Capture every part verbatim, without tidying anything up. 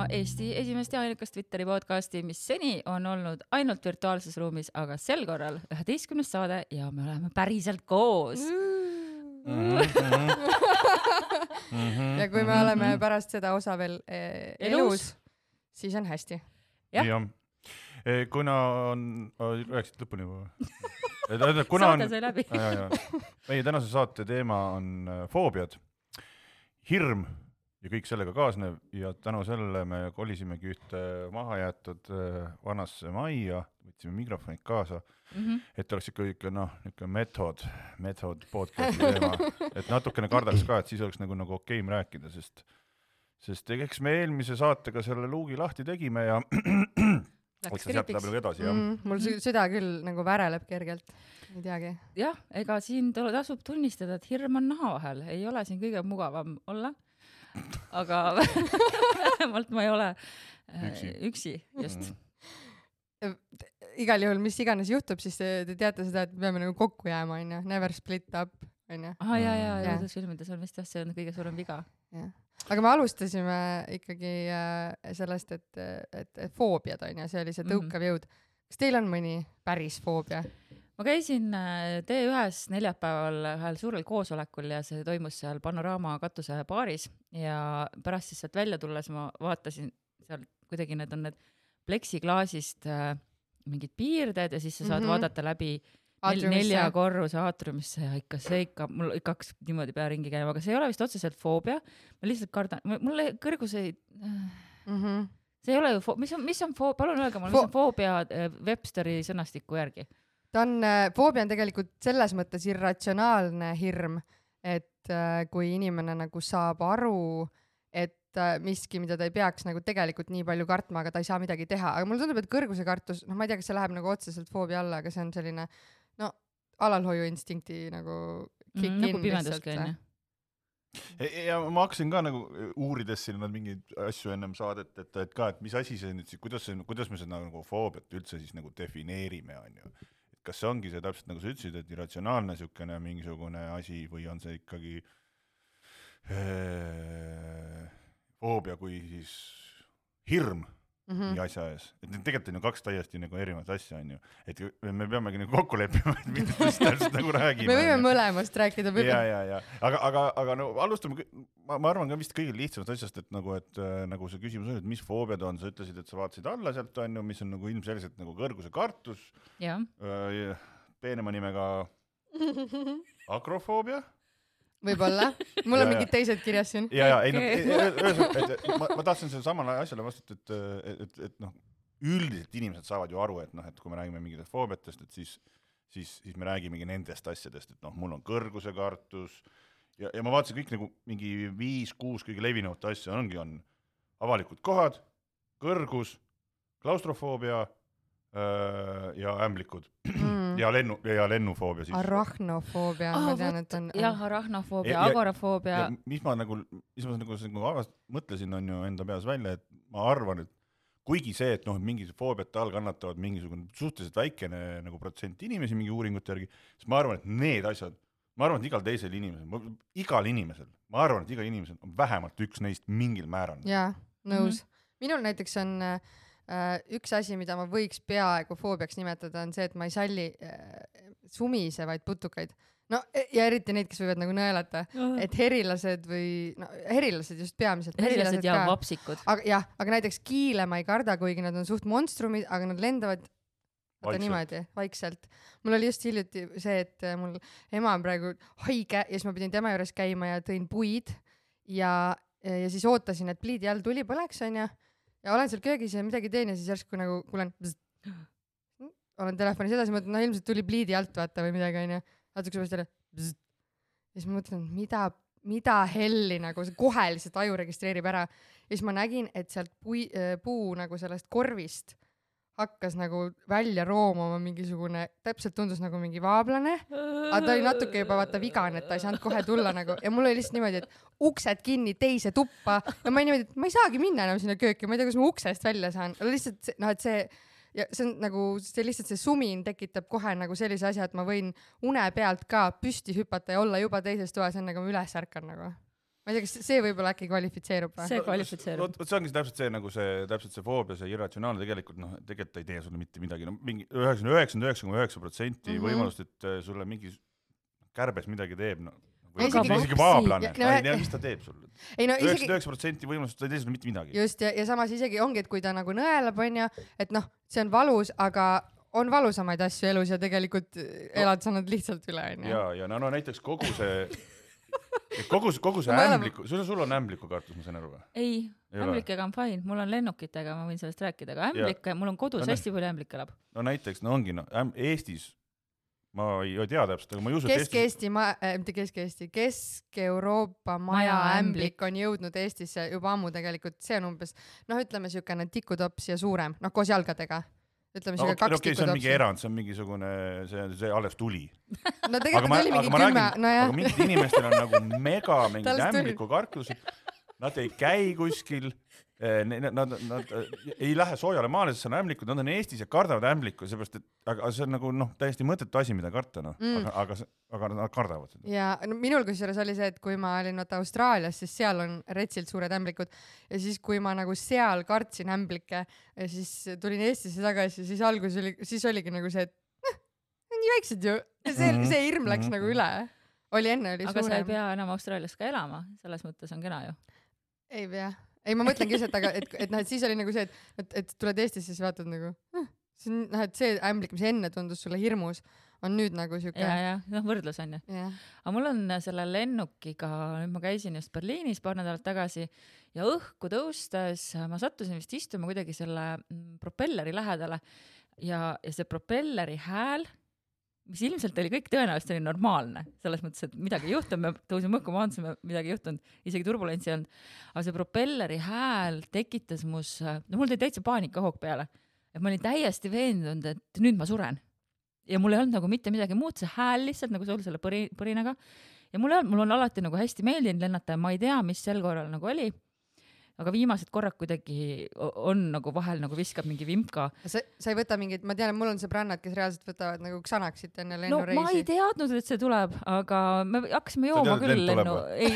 Eesti esimest ja ainukast Twitteri podcasti, mis seni on olnud ainult virtuaalses ruumis, aga sel korral üheteistkümnes saade ja me oleme päriselt koos. Mm-hmm. Mm-hmm. Ja kui me oleme pärast seda osa veel eh, elus, elus, siis on hästi. Jah. Ja. Kuna on, rääksid lõpuni või? Saade sai läbi. Ja, ja. Meie tänase saate teema on foobiad, hirm ja kõik sellega kaasnev ja tänu sellele me kolisimegi ühte maha jäetud vanasse majja, võtsime mikrofonid kaasa, mm-hmm. et oleks ikka, ikka noh, ikka method, method podcasti teema, et natukene kardaks ka, et siis oleks nagu, nagu okeim rääkida, sest, sest eks me eelmise saatega selle luugi lahti tegime ja läks kriipiks. Edasi, mm, mul süda küll nagu väreleb kergelt, ei teagi. Jah, ega siin tasub tunnistada, et hirm on naha vahel, ei ole siin kõige mugavam olla. Aga vähemalt ma ei ole üksi, üksi just. Mm. Igal juhul, mis iganes juhtub, siis te, te teate seda, et peame nagu kokku jääma, on ju, never split up, on ju. Ah, jah, jah, jah, filmides on vist jah, see on kõige suurem viga. Ja. Aga me alustasime ikkagi sellest, et, et, et foobiad on ju, see oli see tõukav jõud. Kas teil on mõni päris foobia? Ma käisin T ühes neljapäeval ühel suurel koosolekul ja see toimus seal Panorama katuse baaris ja pärast siis sealt välja tulles ma vaatasin seal kuidagi need on need pleksiklaasist äh, mingid piirded ja siis sa saad mm-hmm. vaadata läbi nel, nelja korruse aatriumisse ja ikka see ikka, mul ikka hakkas niimoodi pea ringi käima, aga see ei ole vist otseselt foobia, ma lihtsalt kardan, mulle kõrgus ei... Mm-hmm. See ei ole ju, fo- mis on, mis on foobia, palun öelge mulle, mis on foobia Websteri sõnastiku järgi? Ta on, foobia on tegelikult selles mõttes irratsionaalne hirm, et äh, kui inimene nagu saab aru, et äh, miski, mida ta ei peaks nagu tegelikult nii palju kartma, aga ta ei saa midagi teha. Aga mulle tundub, et kõrguse kartus, noh ma ei tea, kas see läheb nagu otseselt foobia alla, aga see on selline no, alalhoiuinstinkti nagu kick mm, in. Nagu pimeduski on, jah. Ja ma hakkasin ka nagu uurides siin mingeid asju ennem saadet, et, et ka, et mis asi see nüüd, kuidas, see, kuidas me seda nagu foobiat üldse siis nagu defineerime, on ju. Kas see ongi see täpselt nagu sa ütlesid, et irratsionaalne sükene mingisugune asi või on see ikkagi ee, foobia kui siis hirm mm-hmm. nii asja ees. Et tegelikult on ju kaks täiesti nagu erinevat asja, on ju. Et me peamegi nagu kokku leppima, et millest täpselt nagu räägime. Me võime mõlemast rääkida. Ja, ja, ja. Aga, aga, aga no alustame, ma, ma arvan ka vist kõige lihtsamast asjast, et nagu, et nagu see küsimus on, et mis foobiad on, sa ütlesid, et sa vaatasid alla sealt, on ju, mis on nagu ilmselgelt nagu kõrguse kartus. Ja. Peenema nimega akrofoobia. Võib-olla. Mul on mingid teised kirjas siin. Ja, ja, ei, no, ma, ma tahtsin selle samale asjale vastata, et, et, et, et noh, üldiselt inimesed saavad ju aru, et noh, et kui me räägime mingitest foobiatest, et siis, siis, siis me räägimegi nendest asjadest, et noh, mul on kõrguse kartus ja, ja ma vaatasin kõik nagu mingi viis, kuus kõige levinuvat asja ongi, on avalikud kohad, kõrgus, klaustrofoobia öö, ja ämblikud mm. ja, lennu, ja lennufoobia siis. Arachnofoobia, ah, ma tean, et on... Jah, arachnofoobia, agorafoobia. Mis ma nagu, mis ma nagu, nagu avast, mõtlesin on ju enda peas välja, et ma arvan, et kuigi see, et noh, mingid foobiate all kannatavad mingisugune suhteliselt väikene nagu protsent inimesi mingi uuringute järgi, siis ma arvan, et need asjad, ma arvan, et igal teisel inimesel, igal inimesel, ma arvan, et igal inimesel on vähemalt üks neist mingil määral. Jaa, nõus. Mm-hmm. Minul näiteks on äh, üks asi, mida ma võiks peaaegu foobiaks nimetada, on see, et ma ei salli äh, sumisevaid putukaid. No ja eriti neid, kes võivad nagu nõelata, uh-huh. et herilased või, no herilased just peamiselt. Herilased ja ka. Vapsikud. Aga, jah, aga näiteks kiile ma ei karda, kuigi nad on suht monstrumid, aga nad lendavad vaikselt. Niimoodi, vaikselt. Mul oli just hiljuti see, et mul ema on praegu haige ja siis ma pidin tema juures käima ja tõin puid ja, ja siis ootasin, et pliidi all tuli põleks, on ja, ja olen seal köögis ja midagi teen ja siis järsku nagu kuulen bzzt, olen telefonis edasi, mõtlen, no ilmselt tuli pliidi alt vaata või midagi, on ja natuke sõbast jälle bzzt. Ja siis ma mõtlen, mida, mida helli nagu see kohe lihtsalt aju registreerib ära. Ja siis ma nägin, et sealt puu, puu nagu sellest korvist hakkas nagu välja roomama mingisugune, täpselt tundus nagu mingi vaablane, aga ta oli natuke juba vaata vigane, et ta ei saanud kohe tulla nagu ja mul oli lihtsalt niimoodi, et uksed kinni teise tuppa ja ma ei niimoodi, et ma ei saagi minna enam sinna kööki, ma ei tea, kus ma uksest välja saan, lihtsalt noh, et see ja see on nagu, see lihtsalt see sumin tekitab kohe nagu sellise asja, et ma võin une pealt ka püsti hüpata ja olla juba teises toas, enne kui ma üles ärkan nagu. Ma ma ei tea, kas see võib-olla äkki kvalifitseerub või? See kvalifitseerub. Vot see ongi täpselt see, nagu see, täpselt see foobia, see irratsionaalne tegelikult, noh, tegelikult ei tee sulle mitte midagi. No, mingi üheksakümmend üheksa koma üheksa protsenti võimalust, et sulle mingi kärbes midagi teeb, no. Või isegi, isegi vaablane, no, ei tea, mis ta teeb sulle. üheksakümmend üheksa protsenti võimalust, ta ei tee sulle mitte midagi. Just, ja, ja samas isegi ongi, et kui ta nagu nõelab, on ja, et noh, see on valus, aga on valusamaid asju elus ja tegelikult elad sa nad lihtsalt üle, on ja. Ja, ja no, no näiteks kogu see, kogu, kogu see ämbliku, sul, sul on ämbliku kartus, ma sain aru või? Ei, ei ämblikega on fine, mul on lennukitega, ma võin sellest rääkida, aga ämblikke, mul on kodus no, hästi palju ämblik elab. No näiteks, no ongi, no Eestis ma ei tea täpselt, aga ma ei usu, et Kesk-Eesti, ma, äh, mitte Kesk-Eesti, Kesk-Euroopa maja ämblik on jõudnud Eestisse juba ammu tegelikult, see on umbes, noh, ütleme siukene tikutops ja suurem, noh, koos jalgadega. Ütleme no, okay, kaks okay, see on mingi erand, see on mingisugune, see, see alles tuli. No tegelikult ma, oli mingi kümme, no jah. Aga mingid inimestel on nagu mega mingid ämbliku kartused, nad ei käi kuskil, Nad, nad, nad ei lähe soojale maale, sest see on ämblikud, nad on Eestis ja kardavad ämbliku, seepärast, et aga see on nagu noh, täiesti mõttetu asi, mida karta, noh, mm. aga, aga, aga nad kardavad seda. Ja no, minul kusjuures oli see, et kui ma olin vaata Austraalias, siis seal on retsilt suured ämblikud ja siis kui ma nagu seal kartsin ämblikke ja siis tulin Eestisse tagasi, siis algus oli, siis oligi nagu see, et noh, nii väiksed ju, see, mm-hmm. see hirm läks mm-hmm. nagu üle. Oli enne, oli aga suurem. Aga sa ei pea enam Austraalias ka elama, selles mõttes on kena ju. Ei pea. Ei, ma mõtlengi see, et, aga, et, et, noh, et siis oli nagu see, et, et, et tuled Eestisse, siis vaatad nagu, see, noh, et see ämblik, mis enne tundus sulle hirmus, on nüüd nagu siuke. Ja, ja, noh, võrdlus on ju. Aga mul on selle lennukiga, nüüd ma käisin just Berliinis paar nädalat tagasi ja õhku tõustes ma sattusin vist istuma kuidagi selle propelleri lähedale ja, ja see propelleri hääl, mis ilmselt oli kõik tõenäoliselt oli normaalne, selles mõttes, et midagi ei juhtunud, me tõusime õhku, maandusime, midagi ei juhtunud, isegi turbulentsi on, aga see propelleri hääl tekitas mus, no mul tõi täitsa paanikahoog peale, et ma olin täiesti veendunud, et nüüd ma suren. Ja mul ei olnud nagu mitte midagi muud, see hääl lihtsalt nagu sul selle põri, põrinaga ja mul, on, mul on alati nagu hästi meeldinud lennata ja ma ei tea, mis sel korral nagu oli. Aga viimased korrad kuidagi on nagu vahel nagu viskab mingi vimpka. Sa, sa ei võta mingid, ma tean, et mul on sõbrannad, kes reaalselt võtavad nagu ksanaksid enne lennureisi. No ma ei teadnud, et see tuleb, aga me hakkasime jooma küll lennu. Ei,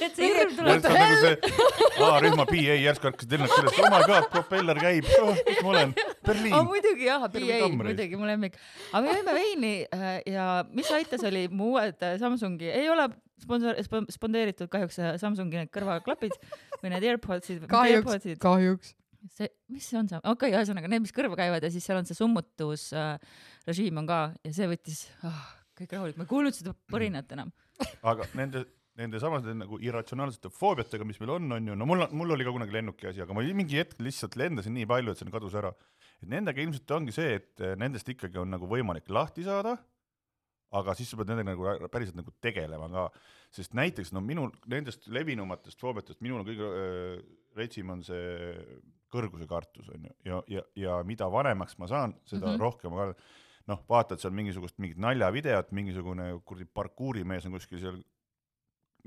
et see hirm tuleb. See on nagu see, aa, rühma P A järsku hakkasid lennuk üles, oh my god, propeller käib, oh, kus ma olen, Berliin. Aga muidugi jah, P A, muidugi mu lemmik. Aga me jõime veini ja mis aitas oli mu uued Samsungi, ei ole sponsor, spondeeritud kahjuks Samsungi need kõrvaklapid või need AirPodsid. Kahjuks, kahjuks. See, mis see on see? Okei, okay, ühesõnaga, need, mis kõrva käivad ja siis seal on see summutus äh, režiim on ka ja see võttis oh, kõik rahulik. Ma ei kuulnud seda põrinat enam. Aga nende, nende samased nagu irratsionaalsete foobiatega, mis meil on, on ju, no mul, mul oli ka kunagi lennuki asi, aga ma mingi hetk lihtsalt lendasin nii palju, et see kadus ära. Et nendega ilmselt ongi see, et nendest ikkagi on nagu võimalik lahti saada, aga siis sa pead nendega nagu päriselt nagu tegelema ka, sest näiteks no minul nendest levinumatest foobiatest minul on kõige äh, retsim on see kõrguse kartus on ju ja, ja, ja mida vanemaks ma saan, seda mm-hmm. rohkem ma noh, vaatad seal mingisugust mingit naljavideot, mingisugune kurdi parkuurimees on kuskil seal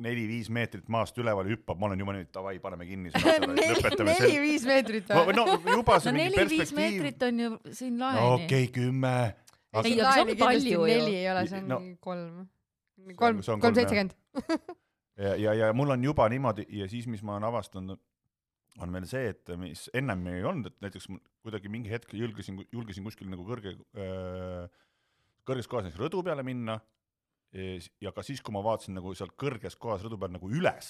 neli-viis meetrit maast üleval hüppab, ma olen juba nüüd, davai, paneme kinni. neli-viis meetrit või? No, juba see no, mingi perspektiiv. No neli-viis meetrit on ju siin laeni. No okei, okay, kümme. Aga ei, aga see on palju ju. Neli ei ole, see on no, kolm. Kolm, kolm seitsekümmend. ja, ja, ja mul on juba niimoodi ja siis, mis ma olen avastanud, on meil see, et mis ennem ei olnud, et näiteks kuidagi mingi hetk julgesin, julgesin kuskil nagu kõrge, äh, kõrges kohas näiteks rõdu peale minna ja ka siis, kui ma vaatasin nagu seal kõrges kohas rõdu peal nagu üles,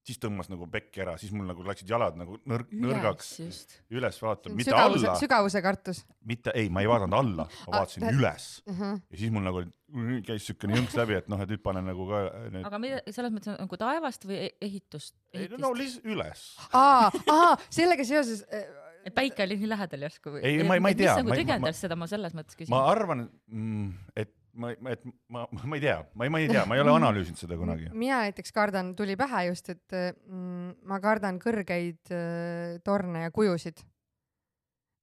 siis tõmbas nagu pekki ära, siis mul nagu läksid jalad nagu nõr- nõrgaks üles, üles vaatama, mitte sügavuse, alla. Sügavuse kartus. Mitte, ei, ma ei vaadanud alla, ma vaatasin ah, üles. Uh-huh. Ja siis mul nagu käis sükene jõnks läbi, et noh, et nüüd panen nagu ka... Need... Aga mida, selles mõttes on nagu taevast või ehitust? ehitist? Ei, no lihtsalt üles. Aa, aa, sellega seoses... Et päike oli nii lähedal järsku või? Ei, ma, ma ei tea. Mis nagu trigendas seda, ma selles mõttes küsin. Ma arvan, et ma, et ma, ma ei tea, ma ei, ma ei tea, ma ei ole analüüsinud seda kunagi. Mina näiteks kardan, tuli pähe just, et mm, ma kardan kõrgeid äh, torne ja kujusid.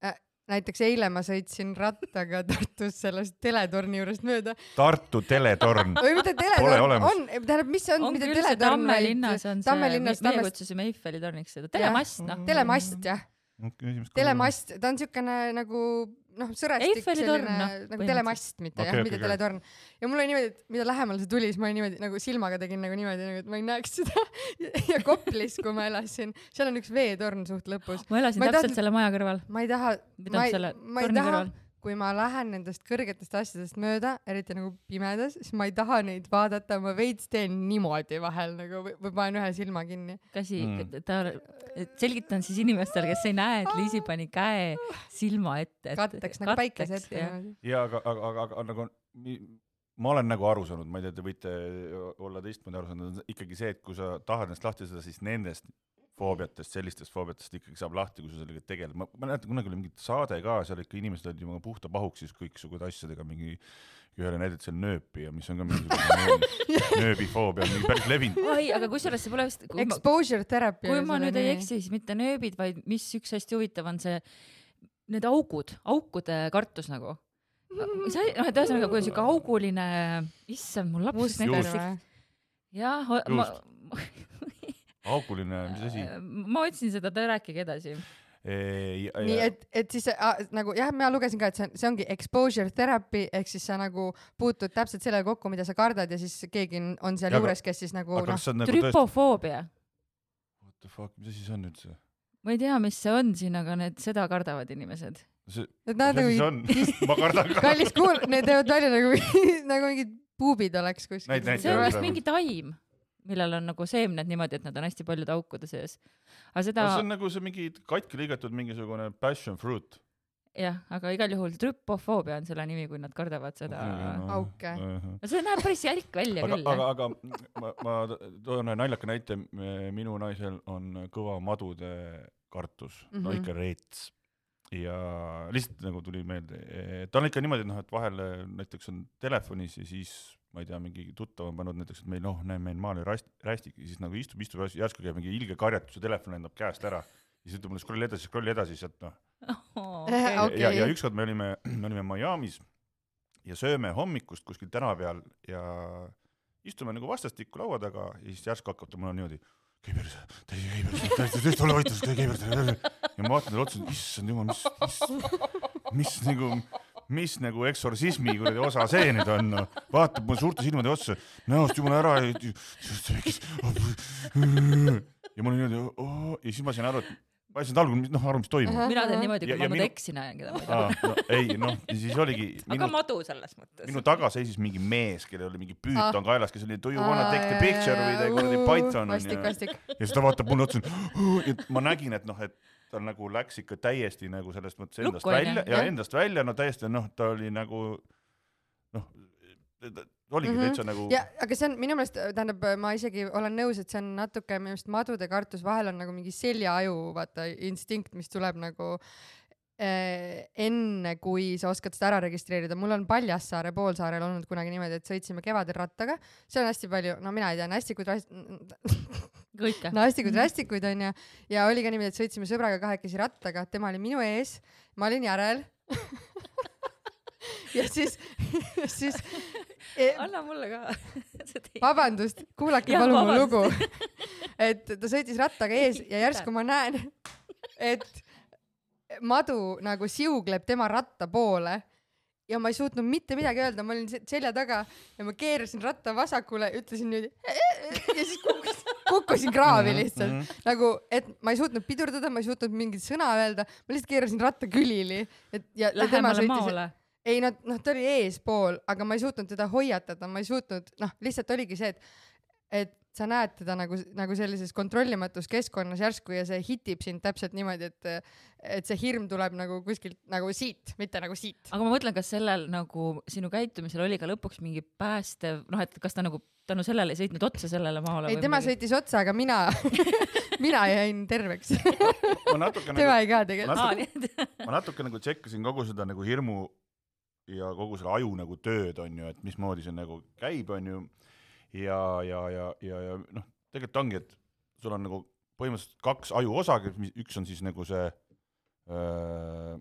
Äh, näiteks eile ma sõitsin rattaga Tartus sellest teletorni juurest mööda. Tartu teletorn. Või mida teletorn on? Tähendab, mis see on? On mida küll see Tamme linnas on see, linnas, meie kutsusime Eiffeli torniks seda. Telemast, noh. Telemast, jah. okay, telemast, ta on siukene nagu noh, sõrestik selline no, nagu telemast, mitte okay, jah, okay, mitte okay. teletorn. Ja mul oli niimoodi, et mida lähemal see tuli, siis ma niimoodi nagu silmaga tegin nagu niimoodi, nagu, et ma ei näeks seda. Ja Koplis, kui ma elasin, seal on üks veetorn suht lõpus. Ma elasin ma täpselt taha, selle maja kõrval. Ma ei taha, ma ei, ma ei taha, kõrval. Kui ma lähen nendest kõrgetest asjadest mööda, eriti nagu pimedas, siis ma ei taha neid vaadata, ma veits teen niimoodi vahel nagu või panen ühe silma kinni. Käsi, mm. ta, selgitan siis inimestel, kes ei näe, et Liisi pani käe silma ette. Katteks, nagu päikese ette. Ja aga, aga, aga, aga nagu, ma olen nagu aru saanud, ma ei tea, te võite olla teistmoodi aru saanud, ikkagi see, et kui sa tahad ennast lahti seda, siis nendest foobiatest, sellistest foobiatest ikkagi saab lahti, kui sa sellega tegeled. Ma, ma näetan, kunagi oli mingit saade ka, seal ikka inimesed olid juba puhta pahuksis kõiksugud asjadega, mingi ühele näidet seal nööpi ja mis on ka mingi nööbifoobia, mingi päris levinud. Oi, aga kusjuures see pole vist... Exposure therapy. Kui ma nüüd ei eksi, siis mitte nööbid, vaid mis üks hästi huvitav on see, need augud, aukude kartus nagu. See, noh, et ühesõnaga, kui on siuke auguline, issand, mul laps näiteks. Jah, ma... auguline, mis asi? Ma otsin seda, ta rääkige edasi. Ei, nii, et, et siis a, nagu, jah, ma lugesin ka, et see, on, see ongi exposure therapy, ehk siis sa nagu puutud täpselt selle kokku, mida sa kardad ja siis keegi on seal ja, juures, kes siis nagu, noh. Nagu trüpofoobia. What the fuck, mis asi see on nüüd see? Ma ei tea, mis see on siin, aga need seda kardavad inimesed. See, mis asi see on? Ma kardan ka. Kallis kuul, need teevad välja nagu, nagu mingid puubid oleks kuskil. Näid, näid, see on vist mingi taim, millel on nagu seemned niimoodi, et nad on hästi palju aukude sees. Aga seda... see on nagu see mingi katki lõigatud mingisugune passion fruit. Jah, aga igal juhul trüpofoobia on selle nimi, kui nad kardavad seda no, auke. No, see näeb päris jälk välja aga, küll. Aga, aga ma, ma toon naljaka näite, minu naisel on kõva madude kartus, mm-hmm. no ikka reets. Ja lihtsalt nagu tuli meelde, ta on ikka niimoodi, et, noh, et vahel näiteks on telefonis ja siis ma ei tea, mingi tuttav on pannud näiteks, et meil, noh, näe, meil maal oli rästik ja siis nagu istub, istub, järsku käib mingi ilge karjatus ja telefon endab käest ära ja siis ütleb mulle scroll edasi, scroll edasi sealt, noh. Oh, okay. ja, ja, ja ükskord me olime, me olime Miamis ja sööme hommikust kuskil täna peal ja istume nagu vastastikku laua taga ja siis järsku hakkab ta mulle niimoodi käiberse, täi käiberse, täi tõesti ole vaitus, täi käiberse ja ma vaatan talle otsa, issand jumal, mis, mis, mis nagu mis nagu eksorsismi kuradi osa see nüüd on, no. Vaatab mul suurte silmade otsa, näost jumala ära ja, ja mul on niimoodi oh, ja siis ma sain aru, et ma sain algul, noh, aru, mis toimub. Mina teen niimoodi, kui ja, ma minu... eksin ajan, keda ma ei tea. No, ei, noh, siis oligi minu... aga madu selles mõttes. Minu taga seisis mingi mees, kellel oli mingi püüton ah. kaelas, kes oli do you wanna take the picture või ta kuradi Python on ja... ja siis ta vaatab mulle otsa ja ma nägin, et noh, et ta nagu läks ikka täiesti nagu sellest mõttes endast Lukku, välja ja, ja endast välja, no täiesti, noh, ta oli nagu, noh, oligi mm-hmm. täitsa nagu... Ja, aga see on minu meelest, tähendab, ma isegi olen nõus, et see on natuke minu meelest madude kartus, vahel on nagu mingi seljaaju, vaata, instinkt, mis tuleb nagu eh, enne, kui sa oskad seda ära registreerida. Mul on Paljassaare poolsaarel olnud kunagi niimoodi, et sõitsime kevadel rattaga. See on hästi palju, no mina ei tea, hästikuid Kõike. No hästikuid, hästikuid on ja, ja oli ka niimoodi, et sõitsime sõbraga kahekesi rattaga, tema oli minu ees, ma olin järel ja siis, siis e... anna mulle ka vabandust, kuulake ja, palun mu lugu et ta sõitis rattaga ees ja järsku ma näen, et madu nagu siugleb tema ratta poole ja ma ei suutnud mitte midagi öelda, ma olin selja taga ja ma keerasin ratta vasakule, ütlesin nüüd ja siis kukkusin, kukkusin kraavi lihtsalt. Mm-hmm. Nagu, et ma ei suutnud pidurdada, ma ei suutnud mingit sõna öelda, ma lihtsalt keerasin ratta külili. Et, ja, lähemale maale? Ei, no, no ta oli eespool, aga ma ei suutnud teda hoiatada, ma ei suutnud, noh, lihtsalt oligi see, et, et sa näed teda nagu, nagu sellises kontrollimatus keskkonnas järsku ja see hitib sind täpselt niimoodi, et, et see hirm tuleb nagu kuskilt nagu siit, mitte nagu siit. Aga ma mõtlen, kas sellel nagu sinu käitumisel oli ka lõpuks mingi päästev, noh, et kas ta nagu tänu sellele ei sõitnud otsa sellele maale? Ei, tema mingi... sõitis otsa, aga mina, mina jäin terveks. tema nagu, ei ka tegelikult. Ma natuke nagu tšekkasin kogu seda nagu hirmu ja kogu selle aju nagu tööd on ju, et mismoodi see nagu käib on ju. Ja, ja, ja, ja, ja noh, tegelikult ongi, et sul on nagu põhimõtteliselt kaks aju osa, üks on siis nagu see äh,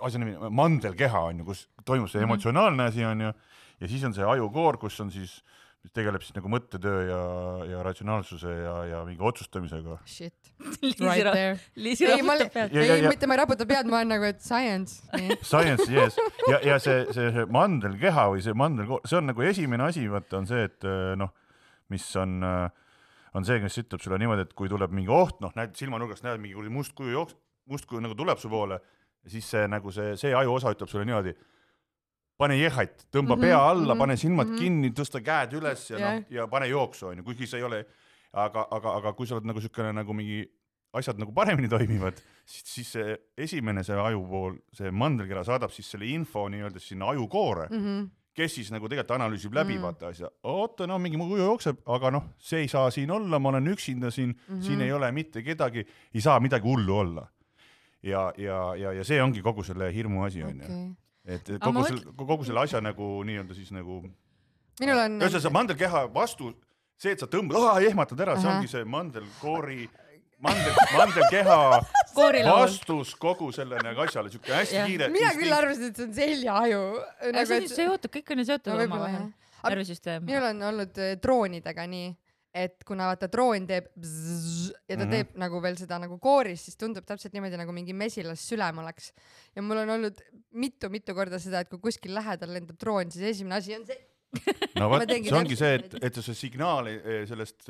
asja nimi, mandelkeha on ju, kus toimub see emotsionaalne asi on ju, ja siis on see ajukoor, kus on siis mis tegeleb siis nagu mõttetöö ja, ja ratsionaalsuse ja, ja mingi otsustamisega. Shit. Liisi Right ra- there. Liisi Ei, ma raputab li- pead. Ja- ei, ja- ja- mitte ma ei raputa pead, ma olen nagu, et science. Nii. Science, yes. Ja, ja see, see, see mandelkeha või see mandel, see on nagu esimene asi, vaata on see, et noh, mis on, on see, kes ütleb sulle niimoodi, et kui tuleb mingi oht, noh, näed silmanurgast, näed mingi must kuju jooks, must kuju nagu tuleb su poole ja siis see nagu see, see aju osa ütleb sulle niimoodi, pane jehait, tõmba mm -hmm, pea alla, mm -hmm, pane silmad mm -hmm. kinni, tõsta käed üles ja, yeah. no, ja pane jooksu, on ju, kuigi see ei ole, aga, aga, aga kui sa oled nagu sükene nagu mingi asjad nagu paremini toimivad, siis, siis see esimene see aju pool, see mandelkera saadab siis selle info nii-öelda sinna ajukoore, mm -hmm. kes siis nagu tegelikult analüüsib läbi mm -hmm. vaata asja, oota, no mingi mu kuju jookseb, aga noh, see ei saa siin olla, ma olen üksinda siin mm, -hmm. siin ei ole mitte kedagi, ei saa midagi hullu olla. Ja, ja, ja, ja see ongi kogu selle hirmu asi, on Okay. ju. Et kogu, mõtl... selle, kogu selle asja nagu nii-öelda siis nagu minul on ühesõnaga see mandelkeha vastu, see, et sa tõmbad, ah, ehmatad ära, see ongi see mandelkoori, mandel, mandelkeha vastus kogu selle nagu asjale, siuke hästi ja. kiire. Mina küll arvasin, et see on seljaaju. Nagu, see on seotud, kõik on ju seotud no, oma vahel. Närvisüsteem. Minul on olnud droonidega nii, et kuna vaata droon teeb bzzz, ja ta mm -hmm. teeb nagu veel seda nagu kooris, siis tundub täpselt niimoodi nagu mingi mesilas sülem oleks. Ja mul on olnud mitu-mitu korda seda, et kui kuskil lähedal lendab droon, siis esimene asi on see. No vaat, see ongi see, et, et see signaal sellest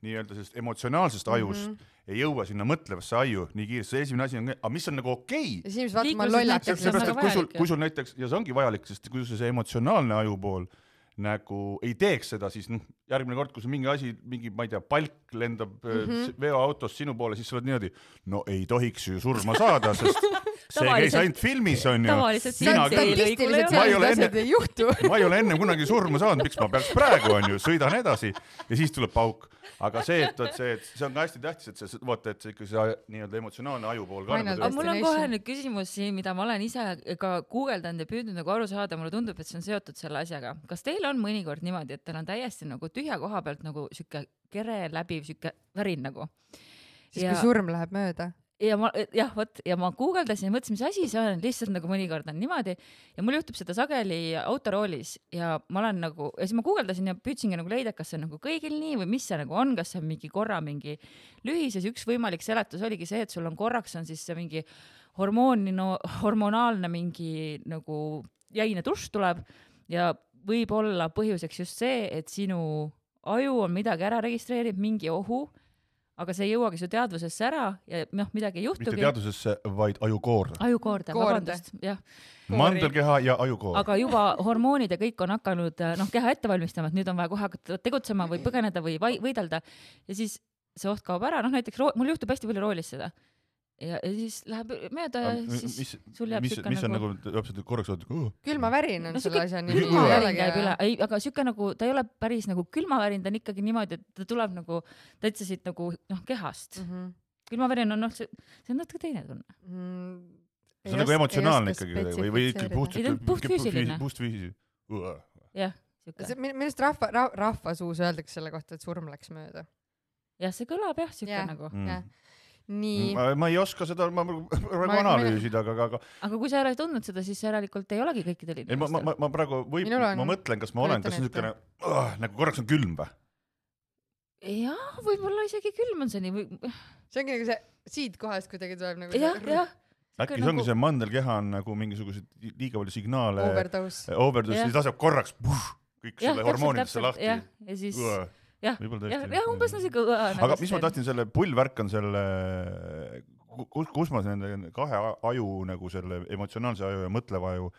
nii-öelda sellest emotsionaalsest ajust mm -hmm. ei jõua sinna mõtlevasse aju nii kiiresti. See esimene asi on, aga mis on nagu okei. Ja siis vaata, ma lollakas. Kui sul, kui sul näiteks, ja see ongi vajalik, sest kui sul see emotsionaalne aju pool nagu ei teeks seda, siis noh, järgmine kord, kui see mingi asi, mingi, ma ei tea, palk lendab mm -hmm. veoautost sinu poole, siis sa oled niimoodi, no ei tohiks ju surma saada, sest see käis ainult filmis, on ju. Ma ei ole enne, ei juhtu. ma ei ole enne kunagi surma saanud, miks ma peaks praegu, on ju, sõidan edasi ja siis tuleb pauk. Aga see, et, et see, et see on ka hästi tähtis, et see, vaata, et see ikka see nii-öelda emotsionaalne aju pool ka. Aga mul on kohe nüüd küsimus siin, mida ma olen ise ka guugeldanud ja püüdnud nagu aru saada, mulle tundub, et see on seotud selle asjaga. Kas teil on mõnikord niimoodi, et teil on täiesti nagu tühja koha pealt nagu siuke kere läbiv siuke värin nagu? Siis ja... kui surm läheb mööda. Ja ma, jah, võt, ja ma guugeldasin ja mõtlesin, mis asi see on, lihtsalt nagu mõnikord on niimoodi ja mul juhtub seda sageli autoroolis ja ma olen nagu, ja siis ma guugeldasin ja püüdsingi nagu leida, kas see on nagu kõigil nii või mis see nagu on, kas see on mingi korra mingi lühis ja üks võimalik seletus oligi see, et sul on korraks on siis see mingi hormooni, no, hormonaalne mingi nagu jäine tušš tuleb ja võib olla põhjuseks just see, et sinu aju on midagi ära registreerib, mingi ohu, aga see ei jõuagi su teadvusesse ära ja noh, midagi ei juhtugi. Mitte teadvusesse, vaid ajukoorde. Ajukoorde, vabandust, jah. Mandelkeha ja ajukoord. Aga juba hormoonid ja kõik on hakanud noh, keha ette valmistama, et nüüd on vaja kohe hakata tegutsema või põgeneda või võidelda ja siis see oht kaob ära, noh näiteks roo- mul juhtub hästi palju roolis seda. Ja, ja siis läheb mööda ja siis mis, sul jääb mis, sükke mis nagu... Mis on nagu korraks oot, uh. külmavärin on no, selle asja nimi. Külmavärin käib üle, ei, aga sükke nagu, ta ei ole päris nagu külmavärin, ta on ikkagi niimoodi, et ta tuleb nagu, ta ütles siit nagu noh, kehast. Mm -hmm. Külmavärin on noh, see, see on natuke teine tunne. Mm, see on nagu emotsionaalne ikkagi või, või ikkagi puhtfüüsiline. Puhtfüüsiline. Jah, sükke. Millest rahva, ra, rahva suus öeldakse selle kohta, et surm läks mööda? Jah, see kõlab jah, sükke yeah. nagu. Yeah. Nii. Ma, ma ei oska seda ma, praegu ma, analüüsida, aga, aga aga kui sa ei ole tundnud seda, siis järelikult ei olegi kõikidel inimestel. Ma, ma, ma praegu võib, ma mõtlen, kas ma olen, kas on niisugune oh, nagu korraks on külm või? Jah, võib-olla isegi külm on see nii või... See ongi nagu see siit kohast kuidagi tuleb nagu jah, jah. Äkki see ongi nagu... see mandelkeha on nagu mingisugused liiga palju signaale overdose, overdose siis laseb korraks puh, kõik ja, selle hormoonidesse lahti ja, ja siis Uah. jah, jah, jah, umbes nagu siuke õõn. Aga mis ma tahtsin selle pullvärk on selle, kus, kus ma nende kahe aju nagu selle emotsionaalse aju ja mõtleva aju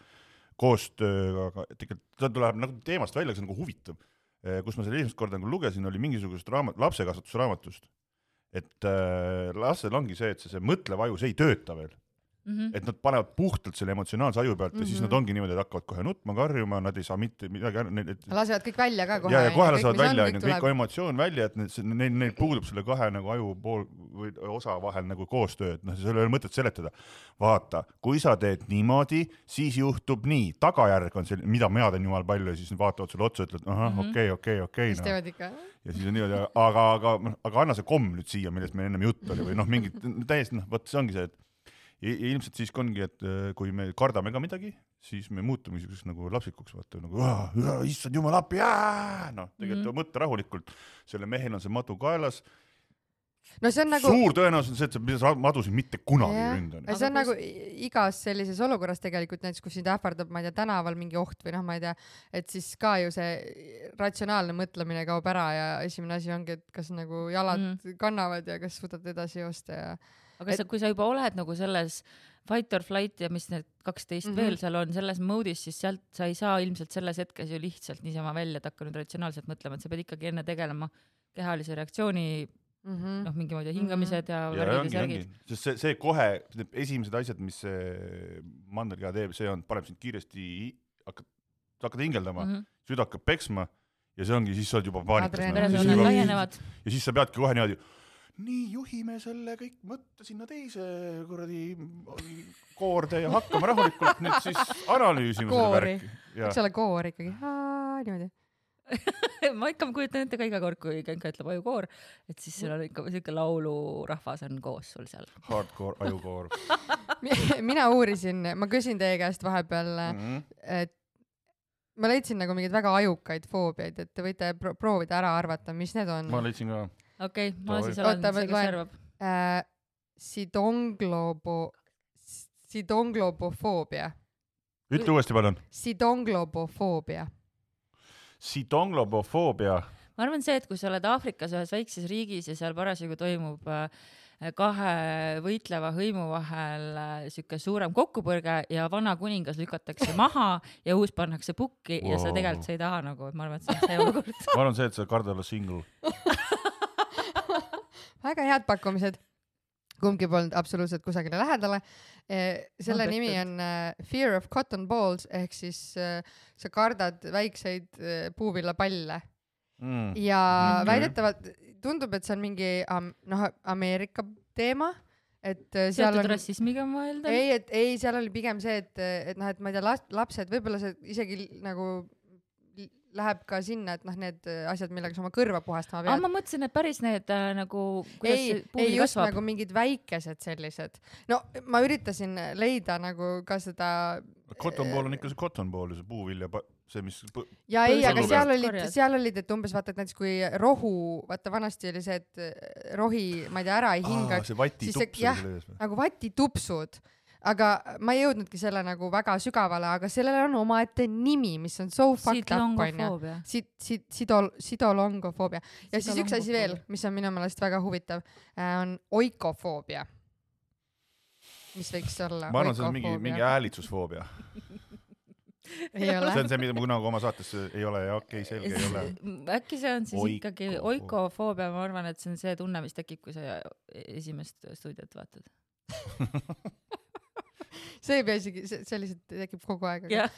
koostööga, tegelikult ta tuleb nagu teemast välja, see on nagu huvitav. Kus ma selle esimest korda nagu lugesin, oli mingisugust raamat, lapsekasvatusraamatust, et äh, lastel ongi see, et see, see mõtlev aju, see ei tööta veel. Mm-hmm. Et nad panevad puhtalt selle emotsionaalse aju pealt mm-hmm. ja siis nad ongi niimoodi, et hakkavad kohe nutma, karjuma, nad ei saa mitte midagi et... lasevad kõik välja ka kohe. Ja, ja kohe lasevad välja, on, kõik, kõik emotsioon välja, et neil, neil puudub selle kahe nagu aju pool või osa vahel nagu koostöö, et noh, see ei ole mõtet seletada. Vaata, kui sa teed niimoodi, siis juhtub nii. Tagajärg on see, mida ma teen jumal palju ja siis vaatavad sulle otsa ja ütled, ahah, mm-hmm. okei, okei, okei. Siis teevad ikka. Ja siis on niimoodi, aga, aga, aga anna see komm nüüd siia, millest meil ennem jutt oli või noh, mingid täiesti, noh, võt see ongi see, et ja ilmselt siis ongi, et kui me kardame ka midagi siis me muutume niisuguseks nagu lapsikuks, vaata nagu issand jumal appi, noh, tegelikult mm -hmm. mõtta rahulikult, selle mehel on see madu kaelas, no see on nagu suur tõenäosus on see, et sa pidad madusid mitte kunagi yeah. ründanud. See on kus... nagu igas sellises olukorras tegelikult, näiteks kus sind ähvardab, ma ei tea, tänaval mingi oht või noh, ma ei tea, et siis ka ju see ratsionaalne mõtlemine kaob ära ja esimene asi ongi, et kas nagu jalad mm. kannavad ja kas suudad edasi joosta ja aga et... sa, kui sa juba oled nagu selles fight or flight ja mis need kaksteist mm -hmm. veel seal on selles moodis, siis sealt sa ei saa ilmselt selles hetkes ju lihtsalt niisama välja, et hakka nüüd ratsionaalselt mõtlema, et sa pead ikkagi enne tegelema kehalise reaktsiooni mm -hmm. noh, mingi moodi hingamised ja, ja värgid ja särgid. Sest see, see kohe, esimesed asjad, mis see mandelkeha teeb, see on, paneb sind kiiresti, hakkad, hakkad hingeldama mm, -hmm. süda hakkab peksma ja see ongi, siis sa oled juba paanikas. Ja siis sa peadki kohe niimoodi nii, juhime selle kõik mõtte sinna teise kuradi koorde ja hakkame rahulikult nüüd siis analüüsima koori. Selle värki. Eks ole koor ikkagi, haa, niimoodi. ma ikka kujutan ette ka iga kord, kui Genka ütleb ajukoor, et siis seal on ikka selline laulurahvas on koos sul seal. Hardcore, ajukoor. Mina uurisin, ma küsin teie käest vahepeal, mm -hmm. et ma leidsin nagu mingeid väga ajukaid foobiaid, et te võite pro proovida ära arvata, mis need on. Ma leidsin ka. Okei, okay, ma siis olen see, kes arvab. Äh, sidonglobo, sidonglobofoobia. Ütle uuesti palun. Sidonglobofoobia. Sidonglobofoobia. Ma arvan see, et kui sa oled Aafrikas ühes väikses riigis ja seal parasjagu toimub kahe võitleva hõimu vahel siuke suurem kokkupõrge ja vana kuningas lükatakse maha ja uus pannakse pukki wow. ja sa tegelikult sa ei taha nagu, ma arvan, et see on see olukord. Ma arvan see, et sa karda olla single. Väga head pakkumised. Kumbki polnud absoluutselt kusagile lähedale. Selle no, nimi on Fear of Cotton Balls ehk siis sa kardad väikseid puuvillapalle. Mm. Ja okay. väidetavalt tundub, et see on mingi noh, Ameerika teema. Et seal on rassismiga mõelda? Ei, et ei, seal oli pigem see, et, et noh, et ma ei tea, lapsed, võib-olla see isegi nagu läheb ka sinna, et noh, need asjad, millega sa oma kõrva puhastama pead. Ah, ma mõtlesin, et päris need nagu, kuidas ei, see puuli ei, kasvab. Ei, just nagu mingid väikesed sellised. No, ma üritasin leida nagu ka seda... Cotton ball on ikka see cotton ball, see puuvilja, see, mis... Ja ei, aga seal olid, seal olid, et umbes vaata, et näiteks kui rohu, vaata vanasti oli see, et rohi, ma ei tea, ära ei hingaks. Ah, see vatitupsud. Jah, nagu vatitupsud. Aga ma ei jõudnudki selle nagu väga sügavale, aga sellele on omaette nimi, mis on so fucked up, on ju. Sidolongofoobia. Ja siis üks asi veel, mis on minu meelest väga huvitav, on oikofoobia. Mis võiks olla? Ma arvan, see on mingi, mingi häälitsusfoobia. Ei ole. See on see, mida ma kunagi oma saates ei ole ja okei, okay, selge ei ole. Äkki see on siis Oiko ikkagi oikofoobia, ma arvan, et see on see tunne, mis tekib, kui sa esimest stuudiot vaatad. See ei pea isegi, sellised tekib kogu aeg. Yeah.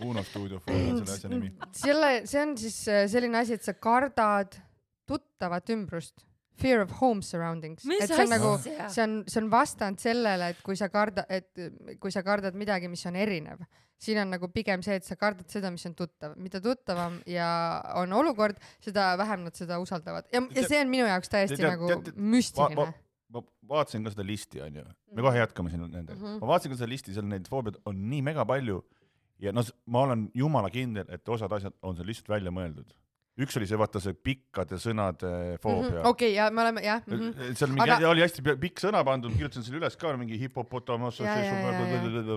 Uno stuudiofoobia on selle asja nimi. Selle, see on siis selline asi, et sa kardad tuttavat ümbrust. Fear of home surroundings. Mis et see on nagu, see on, see on vastand sellele, et kui sa kardad, et kui sa kardad midagi, mis on erinev. Siin on nagu pigem see, et sa kardad seda, mis on tuttav. Mida tuttavam ja on olukord, seda vähem nad seda usaldavad. Ja, ja see on minu jaoks täiesti te, te, nagu te, te, müstiline. Ma, ma, ma vaatasin ka seda listi, on ju. Me kohe jätkame siin nende. Mm -hmm. Ma vaatasin ka seda listi, seal neid foobiad on nii mega palju ja no, ma olen jumala kindel, et osad asjad on seal lihtsalt välja mõeldud. Üks oli see, vaata see pikkade sõnade foobia. Mm -hmm. Okei, okay, ja me oleme, jah. Mm -hmm. Seal mingi, aga... oli hästi pikk sõna pandud, kirjutasin selle üles ka, mingi hippopotamus,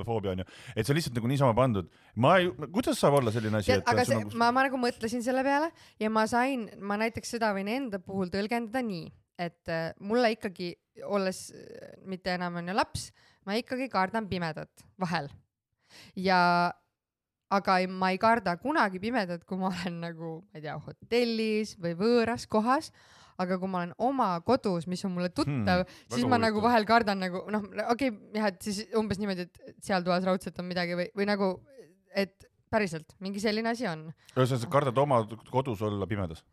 foobia on ju. Et see on lihtsalt nagu niisama pandud. Ma ei, kuidas saab olla selline asi? Ja, aga see, nagu... ma, ma nagu mõtlesin selle peale ja ma sain, ma näiteks seda võin enda puhul tõlgendada nii, et äh, mulle ikkagi, olles äh, mitte enam on ju laps, ma ikkagi kardan pimedat vahel. Ja aga ei, ma ei karda kunagi pimedat, kui ma olen nagu, ma ei tea, hotellis või võõras kohas, aga kui ma olen oma kodus, mis on mulle tuttav, hmm, siis ma nagu vahel kardan nagu, noh, okei, okay, jah, et siis umbes niimoodi, et seal toas raudselt on midagi või, või nagu, et päriselt, mingi selline asi on. Sa kardad oma kodus olla pimedas?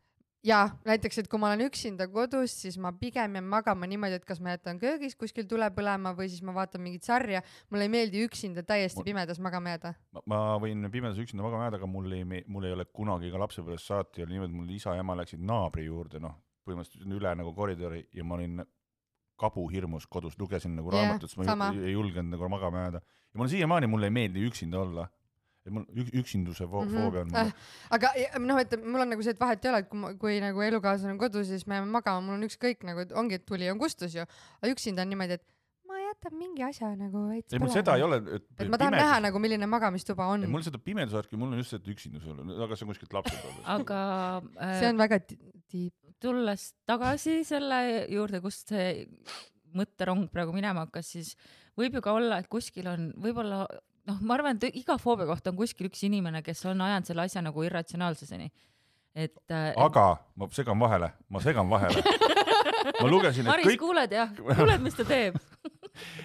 Ja näiteks, et kui ma olen üksinda kodus, siis ma pigem jään magama niimoodi, et kas ma jätan köögis kuskil tule põlema või siis ma vaatan mingit sarja. Mulle ei meeldi üksinda täiesti pimedas magama jääda. Ma, ma võin pimedas üksinda magama jääda, aga mul ei, mul ei ole kunagi ka lapsepõlvest saati. Oli niimoodi, mul isa ja ema läksid naabri juurde, noh, põhimõtteliselt üle nagu koridori ja ma olin kabuhirmus kodus, lugesin nagu yeah, raamatut, ma ei, ei julgenud nagu magama jääda. Ja mul siiamaani mulle ei meeldi üksinda olla. et mul üksinduse foobia on mm. -hmm. aga noh, et mul on nagu see, et vahet ei ole, et kui, kui nagu elukaaslane on kodus, siis me jääme magama, mul on ükskõik nagu, et ongi, et tuli on kustus ju, aga üksinda on niimoodi, et ma jätan mingi asja nagu veits ei, mul seda ei ole, et, et ma tahan pimedus... näha nagu, milline magamistuba on. Mul seda pimedusvärki, mul on just see üksindus olnud, aga see on kuskilt lapsed olnud. aga äh, see on väga tiip. Tulles tagasi selle juurde, kust see mõtterong praegu minema hakkas, siis võib ju ka olla, et kuskil on võib-olla noh, ma arvan, et iga foobia kohta on kuskil üks inimene, kes on ajanud selle asja nagu irratsionaalsuseni. Et, et... aga ma segan vahele, ma segan vahele. ma lugesin, et Maris, kõik... kuuled jah? Kuuled, mis ta teeb?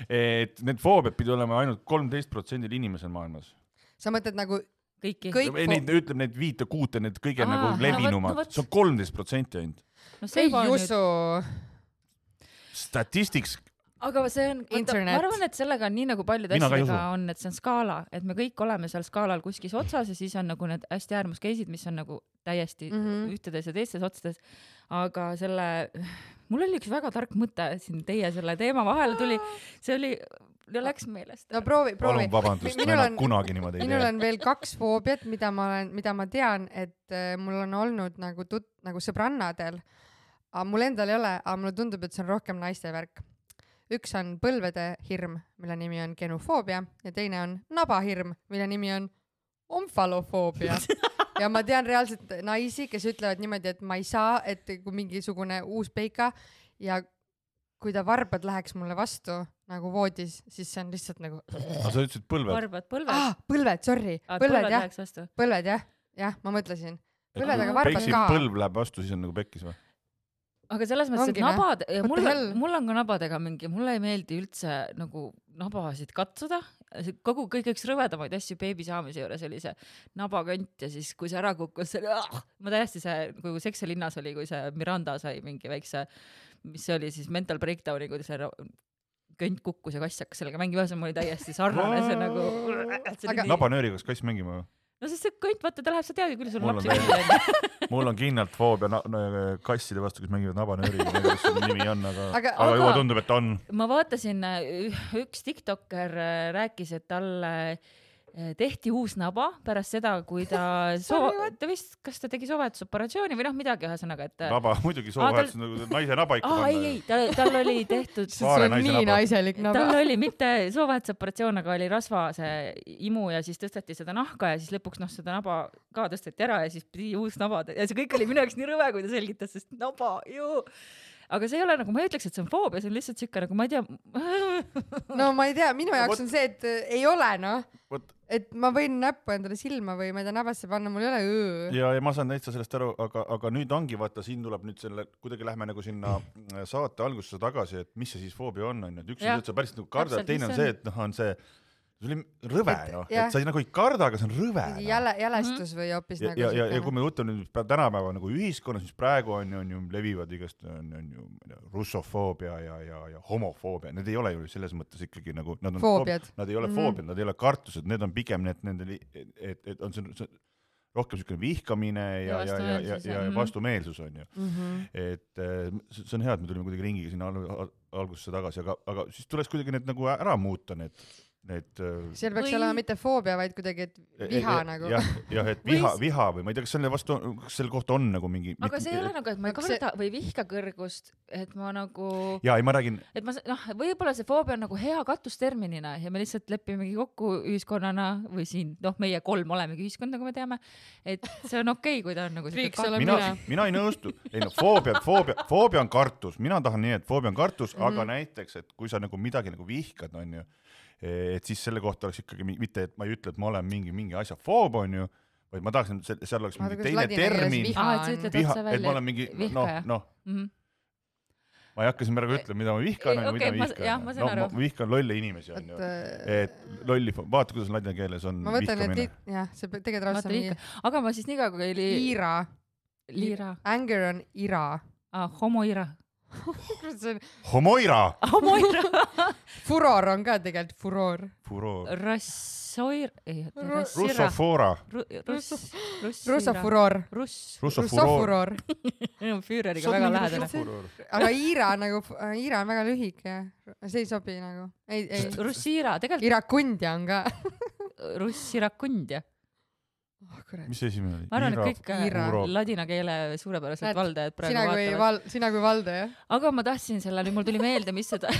et need foobiad pidi olema ainult kolmteist protsendil inimesel maailmas. Sa mõtled nagu kõiki? Kõik ei, neid, ütleb neid viite kuute, need kõige Aa, nagu levinumad. No, võt... see on kolmteist protsenti ainult. No, ei usu. Statistics aga see on, võtta, ma arvan, et sellega on nii nagu paljud asjadega on, et see on skaala, et me kõik oleme seal skaalal kuskis otsas ja siis on nagu need hästi äärmuskeisid, mis on nagu täiesti mm -hmm. ühtedes ja teistes otsades. Aga selle, mul oli üks väga tark mõte siin teie selle teema vahele tuli, see oli, läks meelest. No proovi, proovi. Palun vabandust, ma enam kunagi niimoodi ei minul on veel kaks foobiat, mida ma olen, mida ma tean, et mul on olnud nagu tut-, nagu sõbrannadel, aga mul endal ei ole, aga mulle tundub, et see on rohkem naiste värk. Üks on põlvede hirm, mille nimi on genofoobia ja teine on nabahirm, mille nimi on omfalofoobia. ja ma tean reaalselt naisi, kes ütlevad niimoodi, et ma ei saa, et kui mingisugune uus peika ja kui ta varbad läheks mulle vastu nagu voodis, siis see on lihtsalt nagu... aga sa ütlesid põlved? Varbad, põlved? Ah, põlved, sorry. Ah, põlved, põlved jah. Vastu. Põlved, jah. Jah, ma mõtlesin. Põlved, aga varbad Peksi ka. põlv läheb vastu, siis on nagu pekkis või? Aga selles mõttes, et nabad, mul, mul on ka nabadega mingi, mulle ei meeldi üldse nagu nabasid katsuda. Kogu kõige üks rõvedamaid asju beebi saamise juures oli see nabakönt ja siis kui see ära kukkus, see oli, ah, ma täiesti see, kui Sex ja linnas oli, kui see Miranda sai mingi väikse, mis see oli siis mental breakdowni, kui see könt kukkus ja kass hakkas sellega mängima, see oli täiesti sarnane, see nagu... Aga... Nabanööri, kas kass mängima või? No sest see könt, vaata, ta läheb, sa teadki, küll sul on lapsi mängida. Mul on kindlalt foobia na- na- kasside vastu, kes mängivad nabanööri, ma ei tea, kas see nimi on, aga, aga, aga juba tundub, et on. Ma vaatasin, üks tiktoker rääkis, et talle tehti uus naba pärast seda, kui ta soo... ta vist, kas ta tegi soovahetusoperatsiooni või noh, midagi ühesõnaga, et... Naba, muidugi soovahetus tal... nagu naise naba ikka ah, panna. Ei, ei, tal, tal oli tehtud... see on nii naba. Naiselik naba. Tal oli mitte soovahetusoperatsioon, aga oli rasva see imu ja siis tõsteti seda nahka ja siis lõpuks noh, seda naba ka tõsteti ära ja siis pidi uus naba. Ja see kõik oli minu jaoks nii rõve, kui ta selgitas, sest naba, ju... Aga see ei ole nagu, ma ei ütleks, et see on foobia, see on lihtsalt siuke nagu, ma ei tea... no ma ei tea, minu jaoks on see, et ei ole, noh. Et ma võin näppu endale silma või ma ei tea, nabasse panna, mul ei ole õõ. Ja, ja ma saan täitsa sellest aru, aga, aga nüüd ongi, vaata, siin tuleb nüüd selle, kuidagi lähme nagu sinna saate algusesse tagasi, et mis see siis foobia on, on. Üks on, et sa päris nagu kardad, teine on see, et noh, on see... see oli rõve, noh, et sa ei nagu ei karda, aga see on rõve. Jäle, jälestus või hoopis ja, nagu... Ja, ja, ja kui me võtame nüüd tänapäeva nagu ühiskonnas, mis praegu on, on ju levivad igast, on, on ju russofoobia ja, ja, ja homofoobia, need ei ole ju selles mõttes ikkagi nagu... Nad, on foobiad. Nad ei ole mm-hmm. foobiad, nad ei ole kartused, need on pigem need, nende, et, et on see, see rohkem selline vihkamine ja, ja, ja, ja, ja, ja vastumeelsus on ju. Mm-hmm. Et see on hea, et me tulime kuidagi ringiga sinna algusesse tagasi, aga, aga siis tuleks kuidagi need nagu ära muuta need Need, seal peaks või... olema mitte foobia, vaid kuidagi, et viha ja, nagu. Jah, ja, et viha, viha või ma ei tea, kas selle vastu, kas selle kohta on nagu mingi... Aga mit, see ei ole nagu, et ma ei karda see... või vihka kõrgust, et ma nagu... Jaa, ei ma räägin... Et ma, noh, võib-olla see foobia on nagu hea katusterminina ja me lihtsalt lepimegi kokku ühiskonnana või siin, noh, meie kolm olemegi ühiskond, nagu me teame, et see on okei, kui ta on nagu... Mina, mina ei nõustu. Ei no, foobia, foobia, foobia on kartus. Mina tahan nii, et foobia on kartus, mm-hmm. aga näiteks, et kui sa nagu midagi nagu vihkad, on ju, et siis selle kohta oleks ikkagi mitte, et ma ei ütle, et ma olen mingi, mingi asja foob, on ju, vaid ma tahaksin, seal oleks mingi teine termin, viha, viha, et ma olen mingi, noh, noh, mm-hmm. ma ei hakka siin praegu ütlema, mida ma vihkan, okay, mida ma vihkan. No, ma vihkan lolle inimesi, on ju. Et lolli, vaata, kuidas ladina keeles on ma võtan, vihkamine. Et, jah, see tegelikult raudselt on nii. Aga ma siis nii ka, kui oli... Ira. Liira. Anger on ira. Ah, homoira. Homoira. Homoira. Furor on ka tegelikult furor. Furor. Rassoir. Russofora. Russofuror. Russofuror. Füüreriga väga lähedane. Aga Iira nagu, Iira on väga lühike. See ei sobi nagu. Ei, ei. Russiira, tegelikult. Irakundja on ka. russi rakund ja oh, kurat. mis esimene oli? ma arvan, et kõik Ira. ladina keele suurepäraselt Näed, valdajad praegu sina kui, vaatavad. val, sina kui valdaja. Aga ma tahtsin selle, nüüd mul tuli meelde, mis seda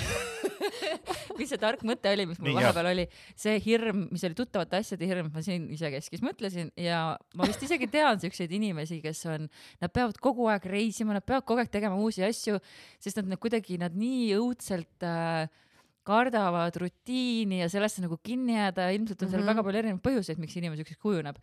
mis see tark mõte oli, mis mul Nii, vahepeal oli. See hirm, mis oli tuttavate asjade hirm, ma siin ise keskis mõtlesin ja ma vist isegi tean selliseid inimesi, kes on, nad peavad kogu aeg reisima, nad peavad kogu aeg tegema uusi asju, sest nad, nad kuidagi, nad nii õudselt äh, kardavad rutiini ja sellesse nagu kinni jääda ja ilmselt on seal mm-hmm. väga palju erinevaid põhjuseid, miks inimene ükskõik kujuneb.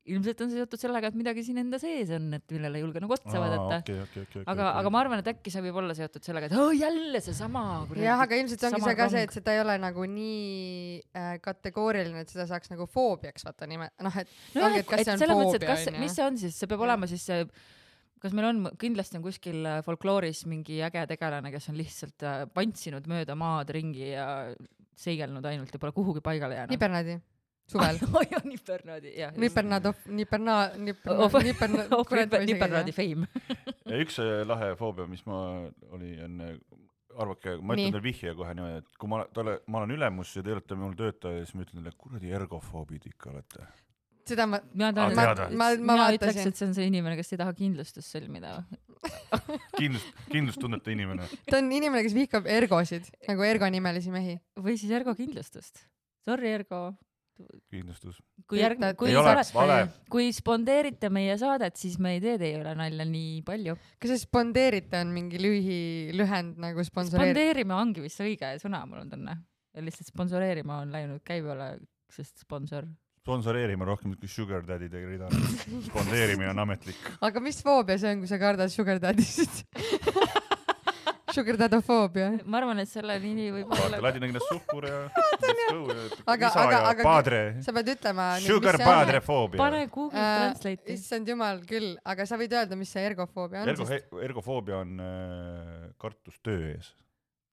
Ilmselt on see seotud sellega, et midagi siin enda sees on, et millele ei julge nagu otsa vaadata. Okay, okay, okay, aga, okay. aga ma arvan, et äkki see võib olla seotud sellega, et oh, jälle see sama. Jah, aga ilmselt ongi see ka see, et seda ei ole nagu nii äh, kategooriline, et seda saaks nagu foobiaks vaata nime. Noh, et, no ongi, et kas et see on foobia. mõttes, kas, mis see on siis? See peab ja. olema siis see, kas meil on, kindlasti on kuskil folklooris mingi äge tegelane, kes on lihtsalt pantsinud mööda maad ringi ja seigelnud ainult ja pole kuhugi paigale jäänud. Nipernadi. Suvel. oh jah, Nipernadi, jah. Nipernad of, Niperna, Niperna, Niperna, Nipernadi fame. ja üks lahe foobia, mis ma oli enne, arvake, ma ütlen teile vihje kohe niimoodi, et kui ma, talle, ma olen ülemus ja te olete mul töötaja, siis ma ütlen teile, kuradi ergofoobid ikka olete. Seda ma, ma, ma, ma, ma, ma vaatasin. Ütleks, et see on see inimene, kes ei taha kindlustust sõlmida. Kindlust, kindlustundeta inimene. Ta on inimene, kes vihkab ergosid, nagu ergo nimelisi mehi. Või siis ergo kindlustust. Sorry, ergo. Kindlustus. Kui, järg, kui, ole, kui spondeerite meie saadet, siis me ei tee teie üle nalja nii palju. Kas see spondeerite on mingi lühi, lühend nagu sponsoreerima? Spondeerima ongi vist õige sõna, mul on tunne. Ja lihtsalt sponsoreerima on läinud käibele, sest sponsor. Sponsoreerima rohkem kui sugar daddy tegi rida. Spondeerimine on ametlik. Aga mis foobia see on, kui sa kardad sugar daddy'sid? Sugar dadofoobia. Ma arvan, et selle nimi võib olla. Ladina keeles suhkur ja aga, isa aga, ja aga, padre. Sa pead ütlema. Sugar padre foobia. Pane Google äh, Translate'i. Issand jumal küll, aga sa võid öelda, mis see ergofoobia on. Ergo, sest... Ergofoobia on äh, kartus töö ees.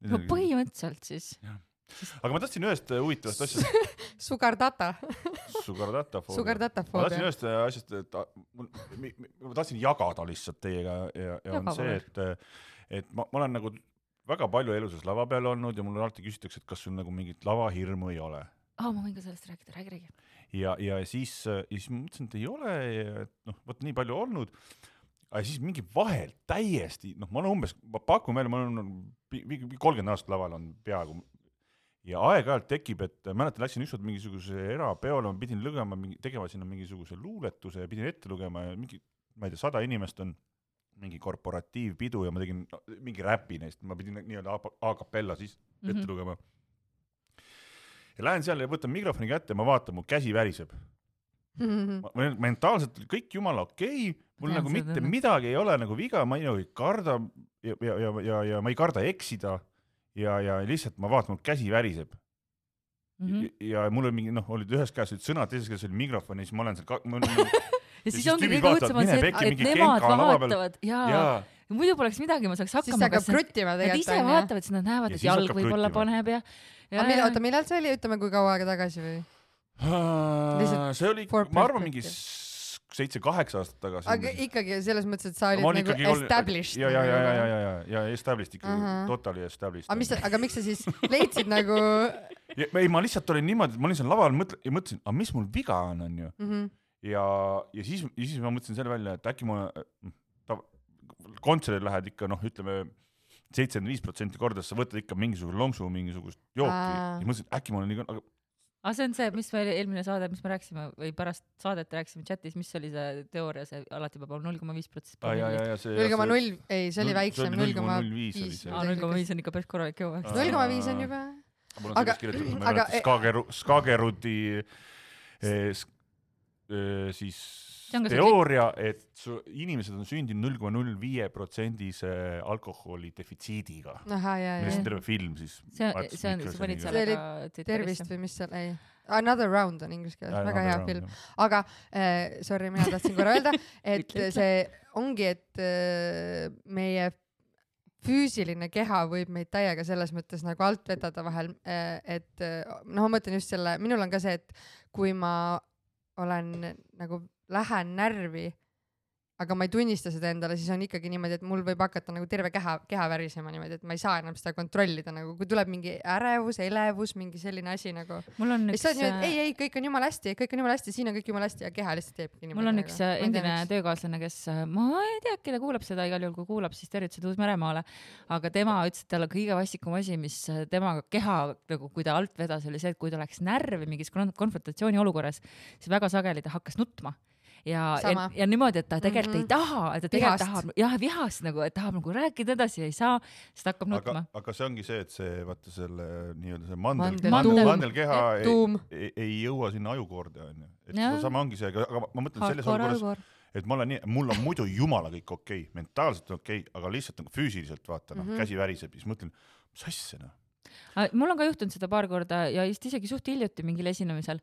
No põhimõtteliselt siis. Aga ma tahtsin ühest huvitavast asjast. Sugar data. Sugar data foobia. Sugar data foobia. Ma tahtsin ühest asjast, et ma tahtsin jagada lihtsalt teiega ja, ja on see, et et ma, ma olen nagu väga palju eluses lava peal olnud ja mul alati küsitakse, et kas sul nagu mingit lavahirmu ei ole. Ah, ma võin ka sellest rääkida, räägi, räägi. Ja, ja siis, ja siis ma mõtlesin, et ei ole, et noh, võt nii palju olnud, aga siis mingi vahel täiesti, noh, ma olen umbes, ma pakun meile, ma olen kolmkümmend aastat laval on peaaegu ja aeg-ajalt tekib, et mäletan, läksin ükskord mingisuguse erapeole, ma pidin lugema, tegema sinna mingisuguse luuletuse ja pidin ette lugema ja mingi, ma ei tea, sada inimest on mingi korporatiivpidu ja ma tegin mingi räpi neist, ma pidin nii-öelda a capella siis ette mm-hmm. lugema. Ja lähen seal ja võtan mikrofoni kätte ja ma vaatan, mu käsi väriseb. Mm-hmm. Ma, mentaalselt kõik jumala okei, okay, mul ja, nagu mitte tõne. Midagi ei ole nagu viga, ma ei karda ja, ja, ja, ja, ja ma ei karda eksida ja, ja lihtsalt ma vaatan, mu käsi väriseb. Mm-hmm. Ja, ja mul oli mingi, noh, olid ühes käes olid sõnad, teises käes oli mikrofon ja siis ma olen seal ka... Ma, ja siis ongi kõige õudsem on see, et, et nemad vaatavad ja, ja muidu poleks midagi, ma saaks hakkama. Siis hakkab kruttima tegelikult. Nad ise vaatavad, siis nad näevad, et jalg võib-olla paneb ja... ja Aga oota, millal see oli? Ütleme, kui kaua aega tagasi või? See oli, ma arvan, mingi seitse-kaheksa aastat tagasi. Aga ikkagi selles mõttes, et sa olid nagu established. Ja, ja, ja, ja, ja, ja, ja established ikka, uh -huh. totally established. Aga, mis, aga miks sa siis leidsid nagu... Ja, ei, ma lihtsalt olin niimoodi, et ma olin seal laval mõtle, ja mõtlesin, aga mis mul viga on, on ju? Uh -huh. Ja, ja, siis, ja siis ma mõtlesin selle välja, et äkki ma ta, kontserdil lähed ikka, noh, ütleme seitsekümmend viis protsenti kordades, sa võtad ikka mingisugust lonksu, mingisugust jooki. Aa. Ja mõtlesin, äkki ma olen nii... Aga... aga see on see, mis meil eelmine saade, mis me rääksime, või pärast saadet rääksime chatis, mis oli see teooria, see alati peab olema null koma viis protsenti. null koma null, ei, see oli väiksem, null koma viis. null koma viis on ikka päris korralik jõu. null koma viis on juba. Mul on sellest kirjutatud, ma ei mäleta Skagerudi siis teooria, et su, inimesed on sündinud null koma null viis protsendise alkoholi defitsiidiga. Aha, jah, jah. Terve film siis. See, see on, sa panid seal aga tervist või mis seal, ei. Another Round on inglise keeles, väga hea round, film. Jah. Aga, äh, sorry, mina tahtsin korra öelda, et see ongi, et äh, meie füüsiline keha võib meid täiega selles mõttes nagu alt vedada vahel, et noh, ma mõtlen just selle, minul on ka see, et kui ma olen nagu lähen närvi aga ma ei tunnista seda endale, siis on ikkagi niimoodi, et mul võib hakata nagu terve keha, keha värisema niimoodi, et ma ei saa enam seda kontrollida nagu, kui tuleb mingi ärevus, elevus, mingi selline asi nagu. Mul on üks... Niimoodi, ei, ei, kõik on jumala hästi, kõik on jumala hästi, siin on kõik jumala hästi ja keha lihtsalt teebki niimoodi. Mul on üks nagu. endine töökaaslane, kes, ma ei tea, kelle kuulab seda igal juhul, kui kuulab, siis tervitused Uus-Meremaale, aga tema ütles, et tal kõige vastikum asi, mis temaga keha, nagu kui ta alt vedas, oli see, et kui ta läks närvi mingis konfrontatsiooni olukorras, siis väga sageli ta hakkas nutma. Ja, ja, ja niimoodi, et ta tegelikult mm -hmm. ei taha, et ta tegelikult tahab, jah, vihast nagu, et tahab nagu rääkida edasi ja ei saa, siis ta hakkab nutma. Aga, aga see ongi see, et see, vaata selle nii-öelda see mandel, mandel, mandel, mandelkeha ei, ei, ei jõua sinna ajukoorde, on ju. Et ja. sama ongi see, aga ma mõtlen selles olukorras, et ma olen nii, mul on muidu jumala kõik okei, okay, mentaalselt okei, okay, aga lihtsalt nagu füüsiliselt vaata, noh, mm -hmm. käsi väriseb, siis mõtlen, mis asja, noh. Mul on ka juhtunud seda paar korda ja just isegi suht hiljuti mingil esinemisel.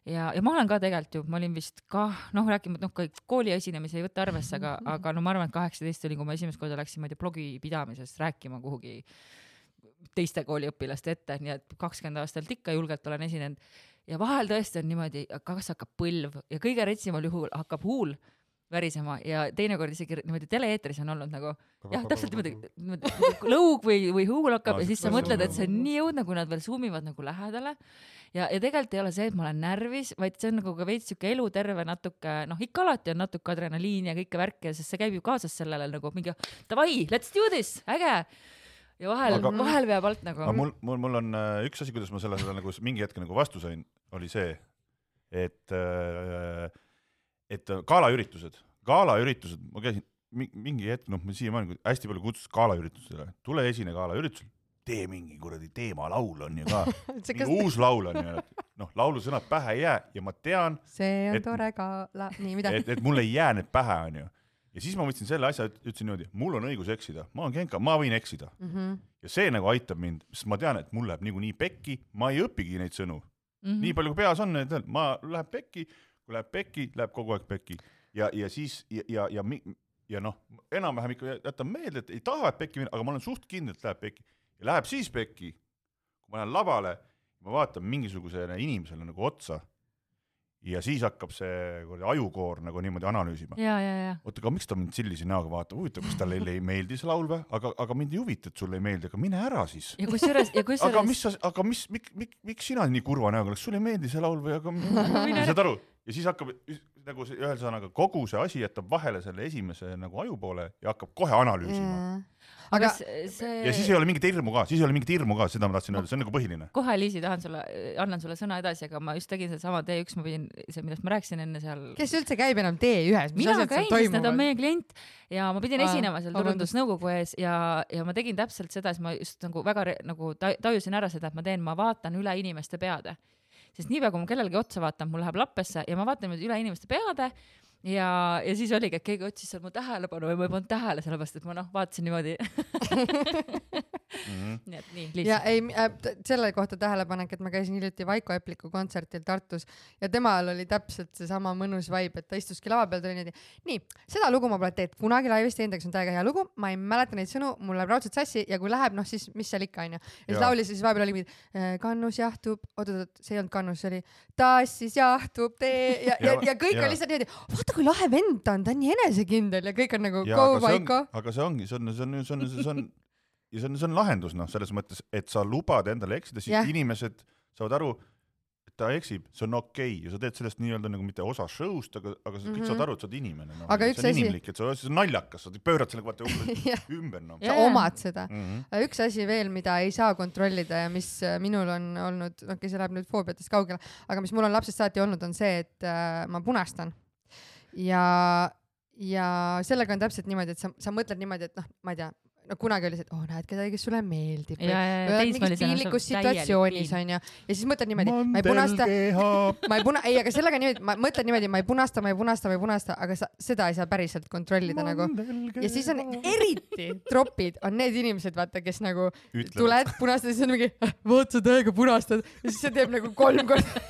Ja, ja ma olen ka tegelikult ju, ma olin vist ka, noh, rääkima, et noh, kõik kooli esinemisi ei võta arvesse, aga, aga no ma arvan, et kaheksateist oli, kui ma esimest korda läksin, ma ei tea, blogi pidamisest rääkima kuhugi teiste kooliõpilaste ette, nii et kakskümmend aastalt ikka julgelt olen esinenud. Ja vahel tõesti on niimoodi, kas hakkab põlv ja kõige retsimal juhul hakkab huul värisema ja teinekord isegi niimoodi tele-eetris on olnud nagu, jah, täpselt niimoodi, niimoodi lõug või, või huul hakkab ja siis sa mõtled, et see on nii jõudne, kui nad veel zoomivad nagu lähedale. Ja, ja tegelikult ei ole see, et ma olen närvis, vaid see on nagu ka veits siuke eluterve natuke, noh, ikka alati on natuke adrenaliin ja kõike värki, sest see käib ju kaasas sellele nagu mingi, davai, let's do this, äge. Ja vahel, aga, vahel veab alt nagu. Mul, mul, mul on äh, üks asi, kuidas ma selle, selle nagu mingi hetke nagu vastu sain, oli see, et, äh, et gaalaüritused, gaalaüritused, ma käisin mingi hetk, noh, ma siiamaani hästi palju kutsus gaalaüritusele, tule esine gaalaüritusel. Tee mingi kuradi teemalaul on ju ka. Mingi uus laul on ju. Noh, laulusõnad pähe ei jää ja ma tean, see on et, tore ka, la... nii mida. Et, et mul ei jää need pähe on ju. Ja siis ma võtsin selle asja, ütlesin niimoodi, mul on õigus eksida, ma olen genka, ma võin eksida. Mm -hmm. Ja see nagu aitab mind, sest ma tean, et mul läheb niikuinii pekki, ma ei õpigi neid sõnu. Mm -hmm. Nii palju kui peas on, et ma läheb pekki, kui läheb pekki, läheb kogu aeg pekki. Ja, ja siis, ja, ja, ja, ja noh, enam-vähem ikka jätan meelde, et ei taha, et pekki minna, aga ma olen suht kindel, et läheb pekki. Ja läheb siis pekki, kui ma lähen lavale, ma vaatan mingisugusele inimesele nagu otsa ja siis hakkab see ajukoor nagu niimoodi analüüsima. Ja, ja, ja. Oota, aga miks ta mind sellise näoga vaatab? Huvitav, kas talle ei meeldi see laul või? Aga, aga mind ei huvita, et sulle ei meeldi, aga mine ära siis. Ja kus üles, ja kus aga mis, aga mis, mik, mik, miks sina nii kurva näoga, kas sulle ei meeldi see laul või? Aga mine... saad aru? Ja siis hakkab nagu ühel sõnaga kogu see asi jätab vahele selle esimese nagu ajupoole ja hakkab kohe analüüsima. Yeah. Aga see... Ja siis ei ole mingit hirmu ka, siis ei ole mingit hirmu ka, seda ma tahtsin öelda, see on nagu põhiline. Kohe, Liisi, tahan sulle, annan sulle sõna edasi, aga ma just tegin seda sama T üks, ma pidin, see, millest ma rääkisin enne seal... Kes üldse käib enam T ühes? Mina käin, sest nad on meie klient ja ma pidin esinema seal turundusnõukogu ees ja, ja ma tegin täpselt seda, siis ma just nagu väga nagu tajusin ära seda, et ma teen, ma vaatan üle inimeste peade. Sest niipea, kui ma kellelegi otsa vaatan, mul läheb lappesse ja ma vaatan üle inimeste peade ja, ja siis oligi, et keegi otsis seal mu tähelepanu või ma ei pannud tähele, sellepärast, et ma noh, vaatasin niimoodi. mm-hmm. Nii et nii, lihtsalt. Ja ei, äh, selle kohta tähelepanek, et ma käisin hiljuti Vaiko Epliku kontsertil Tartus ja temal oli täpselt see sama mõnus vibe, et ta istuski lava peal, tuli niimoodi, nii, seda lugu ma pole teed kunagi laivist teinud, aga see on täiega hea lugu, ma ei mäleta neid sõnu, mul läheb raudselt sassi ja kui läheb, noh siis mis seal ikka on ju. Ja siis laulis ja siis vahepeal oli mingi, kannus jahtub, oot, oot, see ei olnud kannus, see oli tassis jahtub tee ja, ja, ja, ja kõik ja. On lihtsalt niimoodi, vaata kui lahe vend ta on, ta on nii enesekindel ja kõik on nagu ja, go Vaiko. Aga see ongi, see on, see on, see on, see on, ja see on, see on lahendus, noh, selles mõttes, et sa lubad endale eksida, siis yeah. inimesed saavad aru, et ta eksib, see on okei okay. Ja sa teed sellest nii-öelda nagu mitte osa show'st, aga, aga sa kõik mm-hmm. saad aru, et sa oled inimene. No. Aga see on asi... inimlik, et see on naljakas, sa pöörad selle vaata ümber. No. Sa omad seda. Mm-hmm. Üks asi veel, mida ei saa kontrollida ja mis minul on olnud, noh, kes läheb nüüd foobiatest kaugele, aga mis mul on lapsest saati olnud, on see, et äh, ma punastan. Ja, ja sellega on täpselt niimoodi, et sa, sa mõtled niimoodi, et noh, ma ei tea, no kunagi oli see, et oh, näed kedagi, kes sulle meeldib. Ja, ja, või mingis piinlikus situatsioonis on ja, ja siis mõtled niimoodi, ma ei punasta, ma ei puna, ei, aga sellega niimoodi, ma mõtled niimoodi, ma ei punasta, ma ei punasta, ma ei punasta, aga sa, seda ei saa päriselt kontrollida nagu. Ja siis on eriti tropid, on need inimesed, vaata, kes nagu Ütlevad. Tuled, punastad ja siis on mingi, vaat sa täiega punastad ja siis see teeb nagu kolm korda.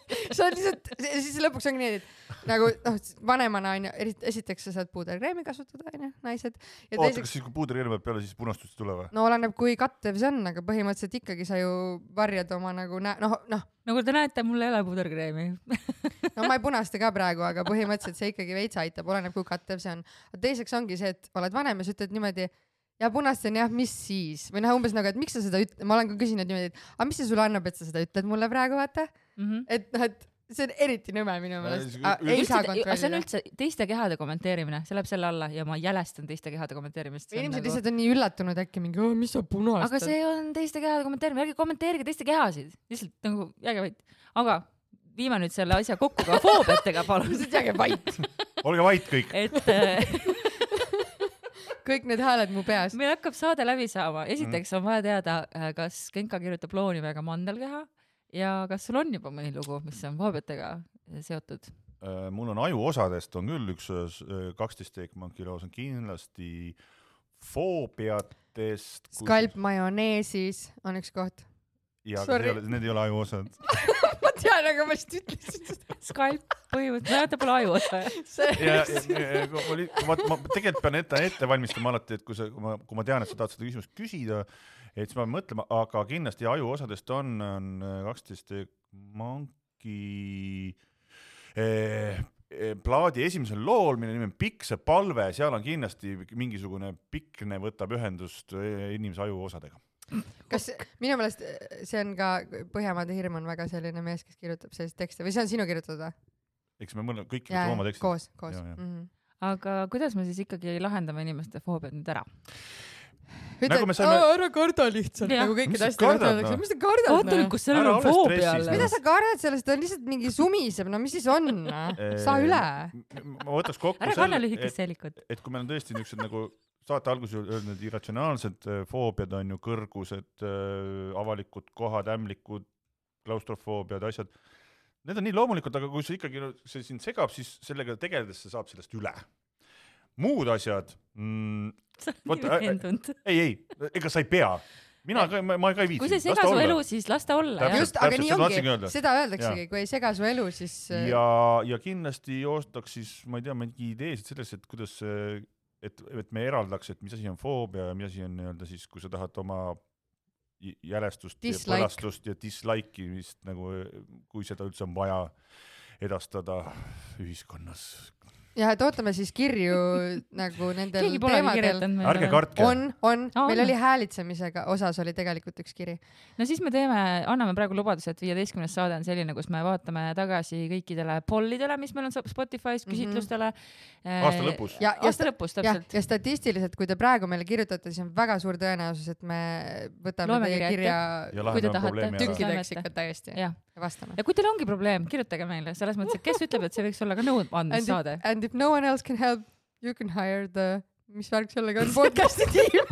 See on lihtsalt, siis lõpuks ongi nii, et nagu noh, vanemana on ju, esiteks sa saad puuderkreemi kasutada, on ju, naised. Ja oota, teiseks... kas siis kui puuderkreemi peab peale, siis punastust ei tule või? No oleneb, kui kattev see on, aga põhimõtteliselt ikkagi sa ju varjad oma nagu nä-, noh, noh. Nagu te näete, mul ei ole puuderkreemi. No ma ei punasta ka praegu, aga põhimõtteliselt see ikkagi veits aitab, oleneb, kui kattev see on. Teiseks ongi see, et oled vanem ja sa ütled niimoodi, ja punastan jah, mis siis? Või noh, umbes nagu, et miks sa seda ütled, ma olen ka küsinud niimoodi, et aga mis see sulle annab, et sa seda ütled mulle praegu, vaata? Mm-hmm. Et noh, et see on eriti nõme minu meelest. Ei saa kontrollida. See on üldse teiste kehade kommenteerimine, see läheb selle alla ja ma jälestan teiste kehade kommenteerimist. Inimesed nagu... lihtsalt on nii üllatunud äkki mingi, oh, mis sa punastad? Aga see on teiste kehade kommenteerimine, ärge kommenteerige teiste kehasid. Lihtsalt nagu jääge vait. Aga viime nüüd selle asja kokku ka foobiatega, palun. Lihtsalt jääge vait. Olge vait kõik. Et... kõik need hääled mu peas. Meil hakkab saade läbi saama. Esiteks on vaja teada, kas Genka kirjutab looni väga mandelkeha ja kas sul on juba mõni lugu, mis on foobiatega seotud? Mul on ajuosadest on küll üks kaksteist Steakmonki loos on kindlasti foobiatest. Skalp majoneesis on üks koht. Ja, need ei ole ajuosad. Ma tean, aga ma just ütlesin. Skalp põhimõtteliselt, ma jätta pole ajuosa. Ja, ja, ja ma, ma tegelikult pean ette, ette valmistama alati, et kui, see, kui, ma, kui ma tean, et sa tahad seda küsimust küsida, et siis ma mõtlema, aga kindlasti ajuosadest on, on kaksteist Steakmonki eh, plaadi esimesel lool, mille nimi on Pikk see palve, seal on kindlasti mingisugune pikne võtab ühendust inimese ajuosadega. Kas minu meelest see on ka Põhjamaade hirm on väga selline mees, kes kirjutab sellist tekste või see on sinu kirjutada? Eks me mõtleme kõik ja, oma tekstid. Koos, koos. Ja, ja. Mm-hmm. Aga kuidas me siis ikkagi lahendame inimeste foobiad nüüd ära? Ütled, nagu saime... ära karda lihtsalt, ja. Nagu kõikid asjad öeldakse. Mis te kardad? Oota nüüd, kus sellel on foobia all? Mida sa kardad sellest? Ta on lihtsalt mingi sumiseb. No mis siis on? Saa üle. Ma võtaks kokku ära kanna lühikest seelikut. Et kui meil on tõesti niisugused nagu saate alguses öelnud, need irratsionaalsed foobiad on ju kõrgused, avalikud kohad, ämlikud, klaustrofoobiad, asjad. Need on nii loomulikult, aga kui see ikkagi see sind segab, siis sellega tegeledes sa saab sellest üle. Muud asjad... Mm, võtta, ei, ei, ega sa ei pea. Mina ka, ma, ma ka ei viitsi. Kui see sega su elu, siis lasta olla. Täpselt, Just, aga nii ongi, seda öeldaksegi, kui ei sega su elu, siis... Ja, ja kindlasti oostaks siis, ma ei tea, mingi ideesid sellest, et kuidas... Et, et me eraldaks, et mis asi on foobia ja mis asi on nii-öelda siis, kui sa tahad oma jälestust dislike. Ja põlastust ja dislike'imist, nagu, kui seda üldse on vaja edastada ühiskonnas. Ja, et ootame siis kirju nagu nendel teemadel. Ärge kartke. On, on. on. Meil oli häälitsemisega osas oli tegelikult üks kiri. No siis me teeme, anname praegu lubaduse, et viieteistkümnes saade on selline, kus me vaatame tagasi kõikidele pollidele, mis meil on Spotify's, küsitlustele. Mm-hmm. Aasta lõpus. Ja, ja, Aasta lõpus, täpselt. Ja, ja statistiliselt, kui te praegu meile kirjutate, siis on väga suur tõenäosus, et me võtame Loome teie kirja kui te tahate. Tükkideks ikka täiesti. Ja. Ja vastame. Ja kui teil ongi probleem, kirjutage meile. Selles mõttes, et kes ütleb, et see võiks olla ka nõud andmis saade. And if no one else can help, you can hire the, mis värk sellega on, podcasti tiim.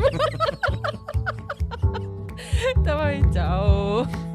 Davai, tšau!